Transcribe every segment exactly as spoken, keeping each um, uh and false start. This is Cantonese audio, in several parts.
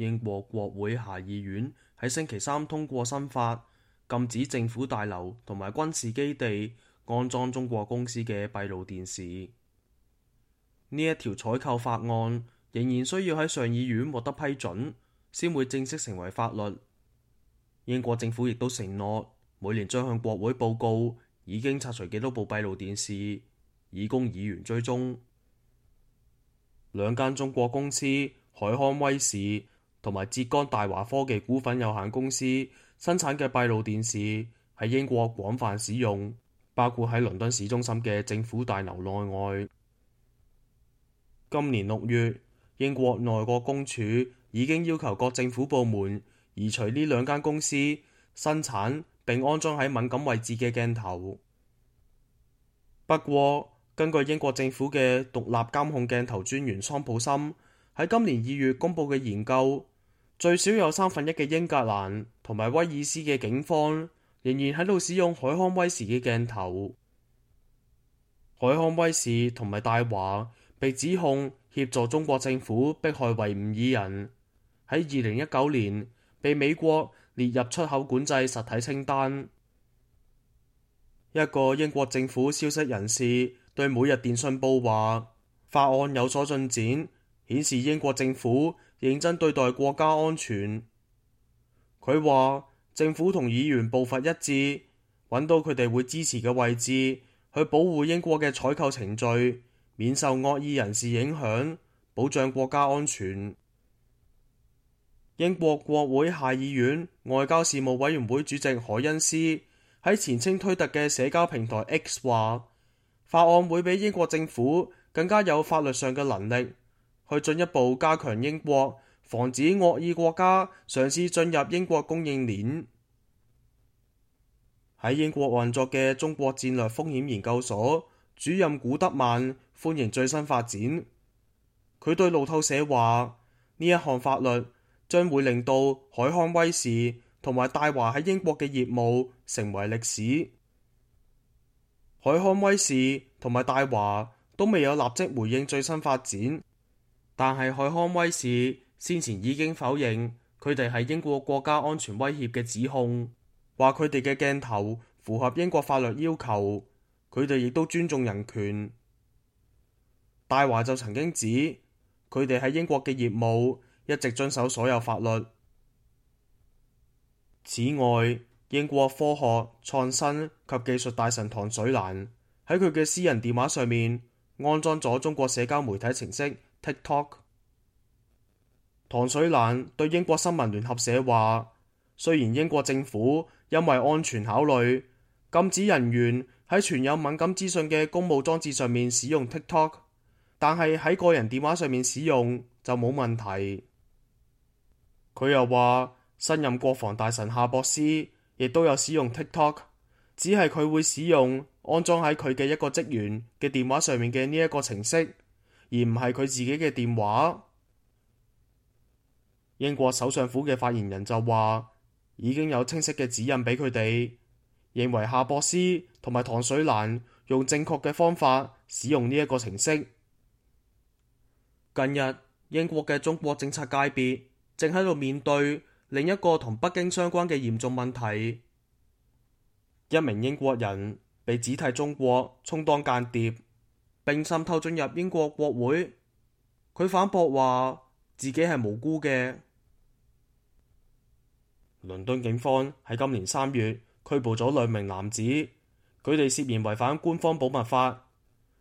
英國國會下議院喺星期三通過新法，禁止政府大樓同埋軍事基地安裝中國公司嘅閉路電視。呢一條採購法案仍然需要喺上議院獲得批准，先會正式成為法律。英國政府亦都承諾每年將向國會報告已經拆除幾多部閉路電視，以供議員追蹤。兩間中國公司海康威視同埋浙江大華科技股份有限公司生產嘅閉路電視喺英國廣泛使用，包括喺倫敦市中心嘅政府大樓內外。今年六月，英國內閣公署已經要求各政府部門移除呢兩間公司生產並安裝喺敏感位置嘅鏡頭。不過，根據英國政府嘅獨立監控鏡頭專員桑普森喺今年二月公佈嘅研究，最少有三分一嘅英格蘭同埋威爾斯嘅警方仍然喺度使用海康威視嘅鏡頭。海康威視同埋大華被指控協助中國政府迫害維吾爾人，喺二零一九年被美國列入出口管制實體清單。一個英國政府消息人士對每日電訊報話，法案有所進展，顯示英國政府認真對待國家安全。佢話政府同議員步伐一致，揾到佢哋會支持嘅位置，去保護英國嘅採購程序，免受惡意人士影響，保障國家安全。英國國會下議院外交事務委員會主席凱恩斯喺前稱推特嘅社交平台 X 話，法案會俾英國政府更加有法律上嘅能力，去進一步加強英國防止惡意國家嘗試進入英國供應鏈。喺英國運作嘅中國戰略風險研究所主任古德曼歡迎最新發展。佢對路透社話，呢一項法律將會令到海康威視同埋大華喺英國嘅業務成為歷史。海康威視同埋大華都未有立即回應最新發展，但係海康威視先前已經否認佢哋係英國國家安全威脅嘅指控，話佢哋嘅鏡頭符合英國法律要求，佢哋亦都尊重人權。大華就曾經指佢哋喺英國嘅業務一直遵守所有法律。此外，英國科學、創新及技術大臣唐水蘭喺佢嘅私人電話上面安裝咗中國社交媒體程式 TikTok。唐水蘭對英國新聞聯合社話，雖然英國政府因為安全考慮禁止人員喺存有敏感資訊嘅公務裝置上面使用 TikTok， 但係喺個人電話上面使用就冇問題。佢又話，新任國防大臣夏博斯亦都有使用 TikTok， 只係佢會使用安裝喺佢嘅一個職員嘅電話上面嘅呢一個程式，而唔係佢自己嘅電話。英國首相府嘅發言人就話，已經有清晰嘅指引俾佢哋，認為夏博斯同埋唐水蘭用正確嘅方法使用呢一個程式。近日，英國嘅中國政策界別正喺度面對另一個同北京相關嘅嚴重問題。一名英國人被指替中國充當間諜，並滲透進入英國國會。佢反駁話自己係無辜嘅。倫敦警方喺今年三月拘捕咗兩名男子，佢哋涉嫌違反官方保密法，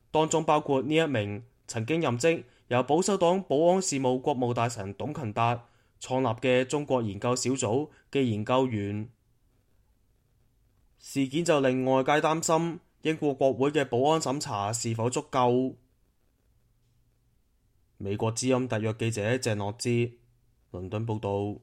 當中包括呢一名曾經任職由保守黨保安事務國務大臣董勤達創立嘅中國研究小組嘅研究員。事件就令外界擔心英國國會嘅保安審查是否足夠。美國之音特約記者鄭諾之倫敦報道。